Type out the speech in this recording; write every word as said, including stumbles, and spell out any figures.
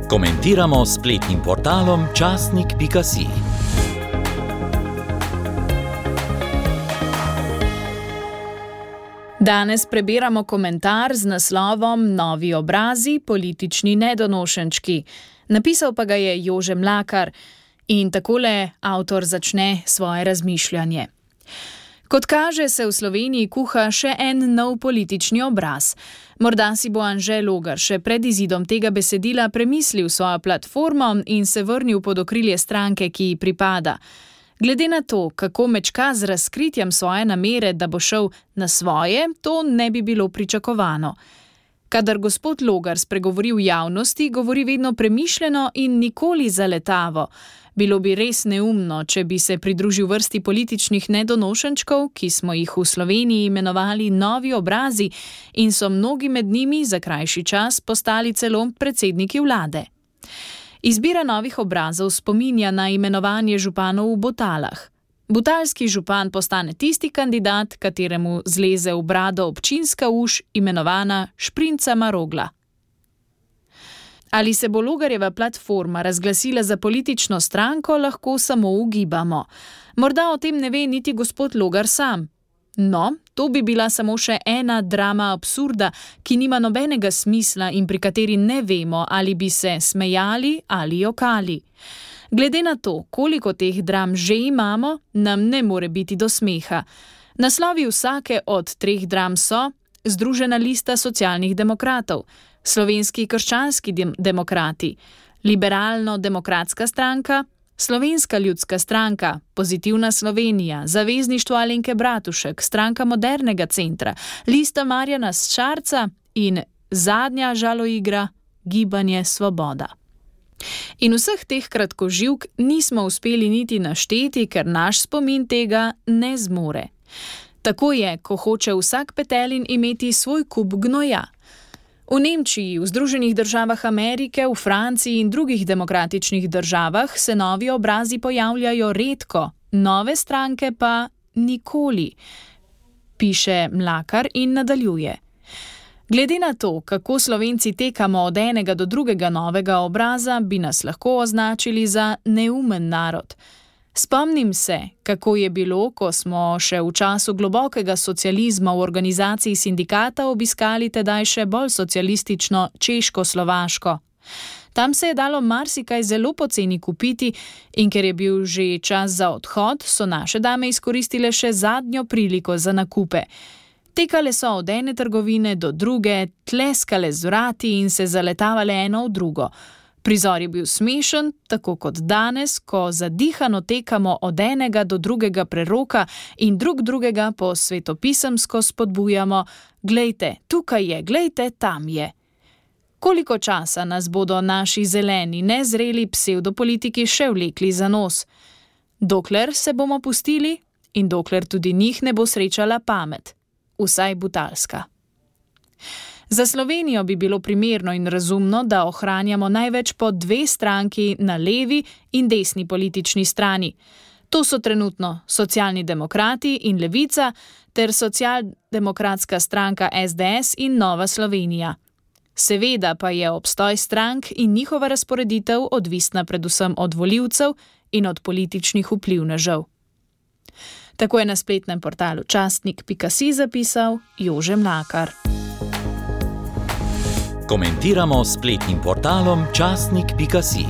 Komentiramo s spletnim portalom časnik pika si. Danes prebiramo komentar z naslovom Novi obrazi, politični nedonošenčki. Napisal pa ga je Jože Mlakar in takole avtor začne svoje razmišljanje. Kot kaže, se v Sloveniji kuha še en nov politični obraz. Morda si bo Anže Logar še pred izidom tega besedila premislil svojo platformo in se vrnil pod okrilje stranke, ki ji pripada. Glede na to, kako mečka z razkritjem svoje namere, da bo šel na svoje, to ne bi bilo pričakovano. Kadar gospod Logar spregovori v javnosti, govori vedno premišljeno in nikoli zaletavo. Bilo bi res neumno, če bi se pridružil vrsti političnih nedonošenčkov, ki smo jih v Sloveniji imenovali novi obrazi in so mnogi med njimi za krajši čas postali celo predsedniki vlade. Izbira novih obrazov spominja na imenovanje županov v Botalah. Butalski župan postane tisti kandidat, kateremu zleze v brado občinska uš, imenovana Šprinca Marogla. Ali se bo Logarjeva platforma razglasila za politično stranko, lahko samo ugibamo. Morda o tem ne ve niti gospod Logar sam. No, to bi bila samo še ena drama absurda, ki nima nobenega smisla in pri kateri ne vemo, ali bi se smejali ali jokali. Glede na to, koliko teh dram že imamo, nam ne more biti do smeha. Naslovi vsake od treh dram so Združena lista socialnih demokratov, Slovenski krščanski demokrati, Liberalno-demokratska stranka, Slovenska ljudska stranka, Pozitivna Slovenija, Zavezništvo Alenke Bratušek, Stranka modernega centra, Lista Marjana Šarca in zadnja žaloigra Gibanje Svoboda. In vseh teh kratkoživk nismo uspeli niti našteti, ker naš spomin tega ne zmore. Tako je, ko hoče vsak petelin imeti svoj kup gnoja. V Nemčiji, v Združenih državah Amerike, v Franciji in drugih demokratičnih državah se novi obrazi pojavljajo redko, nove stranke pa nikoli, piše Mlakar in nadaljuje. Glede na to, kako Slovenci tekamo od enega do drugega novega obraza, bi nas lahko označili za neumen narod. Spomnim se, kako je bilo, ko smo še v času globokega socializma v organizaciji sindikata obiskali tedaj še bolj socialistično Češko-Slovaško. Tam se je dalo marsikaj zelo poceni kupiti in ker je bil že čas za odhod, so naše dame izkoristile še zadnjo priliko za nakupe. Tekale so od ene trgovine do druge, tleskale z vrati in se zaletavale eno v drugo. Prizor je bil smešen, tako kot danes, ko zadihano tekamo od enega do drugega preroka in drug drugega po svetopisemsko spodbujamo: glejte, tukaj je, glejte, tam je. Koliko časa nas bodo naši zeleni, nezreli psevdopolitiki še vlekli za nos? Dokler se bomo pustili in dokler tudi njih ne bo srečala pamet. Vsaj butalska. Za Slovenijo bi bilo primerno in razumno, da ohranjamo največ po dve stranki na levi in desni politični strani. To so trenutno Socialni demokrati in Levica ter Socialdemokratska stranka es de es in Nova Slovenija. Seveda pa je obstoj strank in njihova razporeditev odvisna predvsem od volivcev in od političnih vplivnežev. Tako je na spletnem portalu časnik pika si zapisal Jože Mlakar. Komentiramo s spletnim portalom časnik pika si.